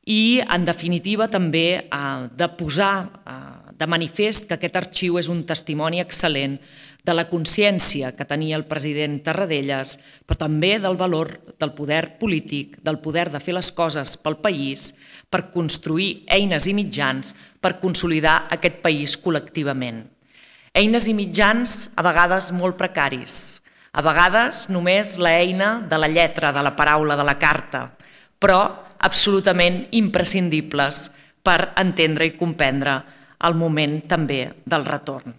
i, en definitiva, també de posar de manifest que aquest arxiu és un testimoni excel·lent de la consciència que tenia el president Tarradellas, però també del valor del poder polític, del poder de fer les coses pel país, per construir eines i mitjans per consolidar aquest país col·lectivament. Eines i mitjans a vegades molt precaris, a vegades només l'eina de la lletra, de la paraula, de la carta, però absolutament imprescindibles per entendre i comprendre el moment també del retorn.